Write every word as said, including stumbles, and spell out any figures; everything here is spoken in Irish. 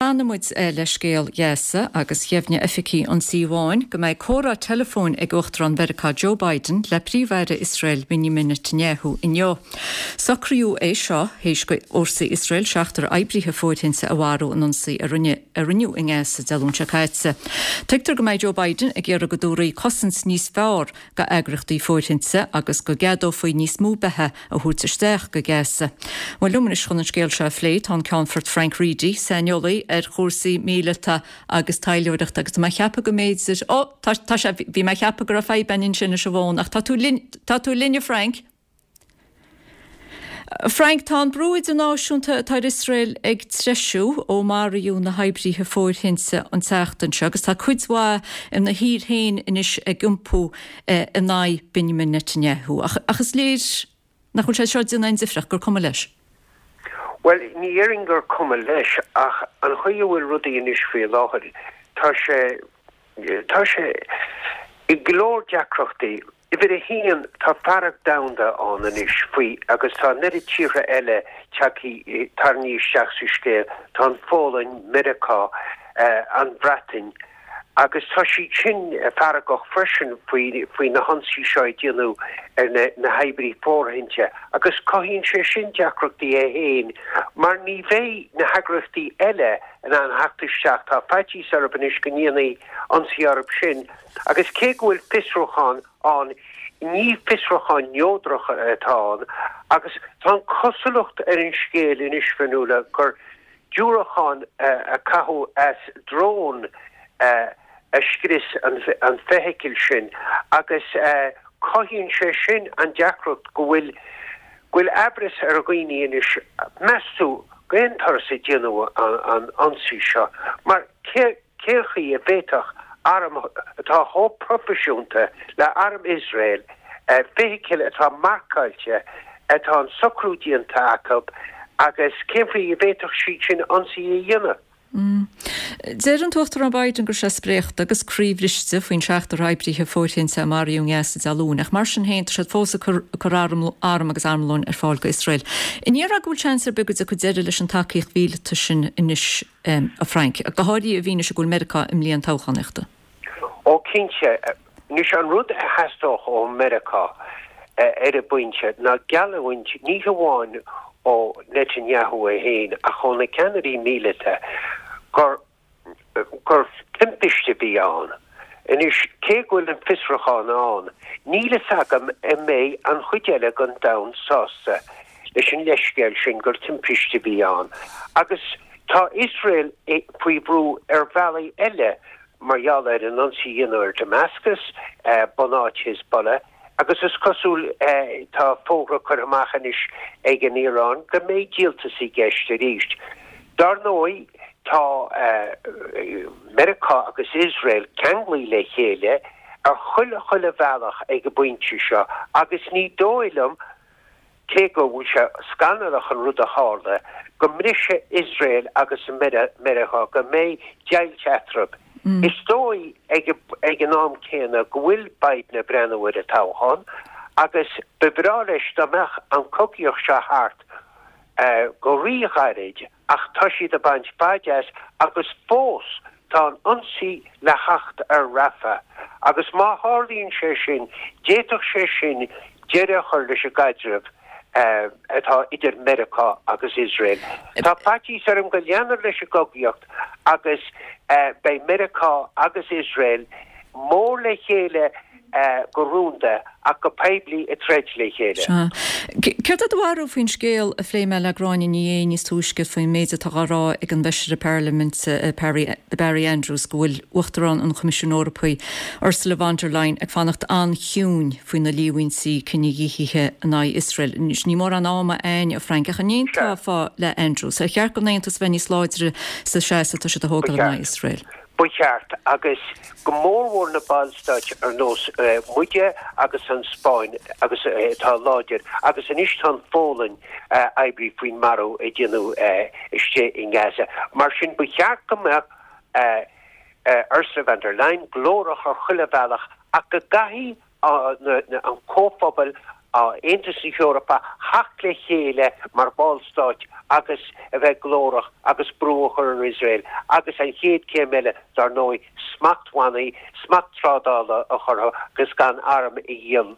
Leanfaidh muid le scéal Ghaza agus dheimhnigh oifigigh an Tí Bháin go mbeidh comhrá teileafóin ag Uachtarán Mheiriceá Joe Biden le Príomh-Aire Iosrael Benjamin Netanyahu inniu. Socraíodh é seo théis do fhórsaí Iosrael seachtar oibrithe fóirithinte a mharú in ionsaí a rinneadh i nGaza Dé Luain seo caite. Tuigtear go mbeidh Joe Biden ag iarraidh go dtabharfaí cosaint níos fearr do eagraíochtaí fóirithinte agus go gceadófaí níos mó beatha a thabhairt isteach go Gaza. Bhuel liom anois chun an scéal seo a phlé tá an Ceannfort Frank Reidy, saineolaí ar chúrsaí míleata agus taidhleoireachta agus tá mé ag ceapadh go mb'fhéidir ó tá sé bhí mé ag ceapadh go raibh fadhb ansin leis an bhfón ach tá tú linn tá tú linn Frank. Frank tá an brú idirnáisiúnta atá ar Iosrael ag treisiú ó maraíodh na hoibrithe fóirithinte an tseachtain seo agus tá cuid mhaith ina thír féin anois ag iompú eh, in aghaidh Benjamin Netanyahu ach, ach is léir nach bhfuil sé seo ag déanamh aon difríocht gur cuma leis. Well ní déarfainn gur cuma leis ach an chaoi a bhfuil rudaí anois faoi láthair tá sé tá sé i go leor deacrachtaí. Uimhir a haon tá fearg domhanda ann anois faoi agus tá neart tíortha eile tagtha tarraingthe isteach sa scéal tá an Pholainn, Meiriceá, uh, an Bhreatain, agus tá siad sin feargach freisin faoi faoi na hionsaí seo a déanadh ar na, na hoibrithe fóirithinte agus cothaíonn sé sin deacrachtaí é féin mar ní bheidh na heagraíochtaí eile in ann theacht isteach tá faitíos orthu anois go ndéanfaí ionsaí orthu sin agus cé go bhfuil fiosrúchán ann ní fiosrúchán neodrach atá ann agus tá an cosúlacht ar an scéal anois fanúla gur diúracán uh, a caitheadh as drón uh, a scrios an, an feithicil sin agus uh, cothaíonn sé sin an deacracht go bhfuil go bhfuil amhras ar dhaoine anois meas tú cén turas a déanadh an, an ionsaí seo mar cé cén chaoi a bhféadfadh arm atá chomh proifisiúnta le arm Iosrael uh, feithicil atá marcáilte atá an socrú déanta acu agus cén chaoi a bhféadfadh siad sin ionsaí a dhéanamh. Mm. Deir an tUachtarán Biden go raibh sé spréachta agus croíbhriste faoin seachtar oibrithe fóirithinte a maraíodh i nGaza Dé Luain, ach mar sin féin tá siad fós ag cur arm arm agus armlón ar fáil go Iosrael. An ndéarfá go bhfuil seans ar bith go dtiocfaidh deireadh leis an tacaíocht mhíleata sin anois um, a Frank, go háirithe i bhfianaise go bhfuil Meiriceá i mbliain toghchánaíochta. Ó cinnte anois an rud a theastódh ó Meiriceá ar an bpointe ná geallúint ní hamháin ó Netanyahu é féin ach ó na ceannairí míleata gur gur timpiste a bhí ann. Anois cé go bhfuil an fiosrúchán ann, níl a fhios agam an mbeidh an chuid eile den domhan sásta leis an leithscéal sin gur timpiste a bhí ann. Agus tá Iosrael faoi bhrú ar bhealaí eile mar gheall ar an ionsaí a dhéanamh ar Damascus, uh, bunáit Hezbollah, agus is cosúil uh, tá fógra curtha amach anois ag an Iaráin go mbeidh díoltas i gceist arís. Dar ndóigh tá uh, Meiriceá agus Iosrael ceangailte le chéile ar chuile chuile bhealach ag an bpointe seo agus ní dóigh liom cé go bhfuil sé scannalach an rud a tharla go mbrisfidh Iosrael agus Meiriceá go mbeidh deighilt eatarthu. Mm. Is dóigh ag, ag an am céanna go bhfuil Biden ag breathnú ar an toghchán agus ba bhreá leis dá mbeadh an chogaíocht seo thart uh, go ríghairid ach tá siad ag baint faid as agus fós tá an ionsaí le theacht ar Rafah agus má tharlaíonn sé sin d'fhéadfadh sé sin deireadh a chur leis an gcaidreamh uh, atá idir Meiriceá agus Iosrael. Tá faitíos orm go leanfar leis an gcogaíocht agus uh, beidh Meiriceá agus Iosrael mór le chéile uh, go rúnda ach go poiblí ag troid le chéile. Céard é do bharúil faoin scéal a phléigh mé le Gráinne Ní Aodha níos túisce faoin méid atá á rá ag an bhfeisire parlaiminte Barry Andrews go bhfuil Uachtarán an Choimisiúin Eorpaigh Ursula von der Leyen ag fanacht an-chiúin faoi na líomhaintí cinedhíothaithe in aghaidh Iosrael. Ní mór an ama ein a Frank ach an aontófá le Andrews, ar cheart don Aontas bheith níos láidre sa seasamh atá siad a thógáil in aghaidh Iosrael. Ba cheart agus go mórmhór na ballstáit ar nós uh, muide agus an Spáinn agus atá uh, láidir agus anois tá an Pholainn uh, oibrí faoin marú a déanadh uh, istigh in Gaza. Mar sin ba cheart go mbeadh uh, uh, Ursula von der Leyen glórach ar chuile bhealach ach go gcaithfidh uh, an comhphobal Aontas na hEorpa theacht le chéile mar ballstáit agus a bheith glórach agus brú a chur ar Iosrael agus an chéad chéim eile dar ndóigh smachtbhannaí, smacht trádála a chur agus gan arm a dhíol.